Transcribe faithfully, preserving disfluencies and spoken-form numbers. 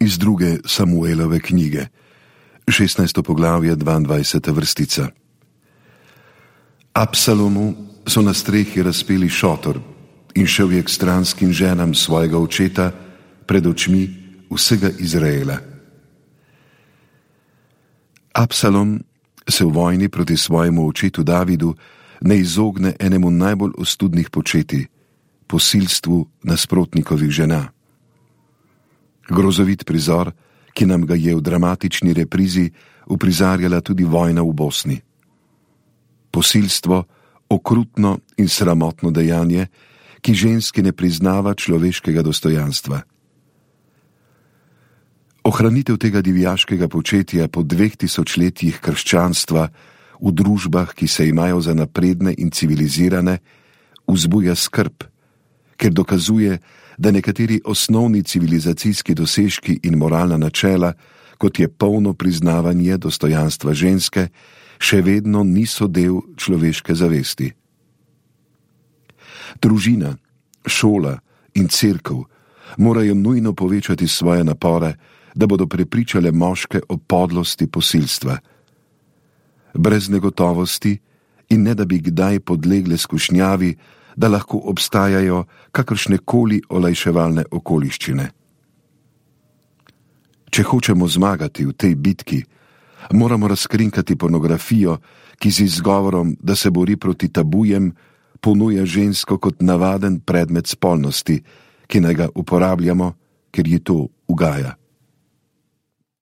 Iz druge Samuelove knjige, šestnajsto poglavje, dvaindvajseta vrstica. Absalomu so na strehi razpeli šotor in šel je k stranskim ženam svojega očeta pred očmi vsega Izraela. Absalom se v vojni proti svojemu očetu Davidu ne izogne enemu najbolj ostudnih početij, posilstvu nasprotnikovih žena. Grozovit prizor, ki nam ga je v dramatični reprizi uprizarjala tudi vojna v Bosni. Posilstvo, okrutno in sramotno dejanje, ki ženski ne priznava človeškega dostojanstva. Ohranitev tega divjaškega početja po dveh tisočletjih krščanstva v družbah, ki se imajo za napredne in civilizirane, vzbuja skrb, ker dokazuje, da nekateri osnovni civilizacijski dosežki in moralna načela, kot je polno priznavanje dostojanstva ženske, še vedno niso del človeške zavesti. Družina, šola in cerkev morajo nujno povečati svoje napore, da bodo prepričale moške o podlosti posilstva. Brez negotovosti in ne da bi kdaj podlegle skušnjavi, da lahko obstajajo kakršnekoli olajševalne okoliščine. Če hočemo zmagati v tej bitki, moramo razkrinkati pornografijo, ki z izgovorom, da se bori proti tabujem, ponuja žensko kot navaden predmet spolnosti, ki naj ga uporabljamo, ker ji to ugaja.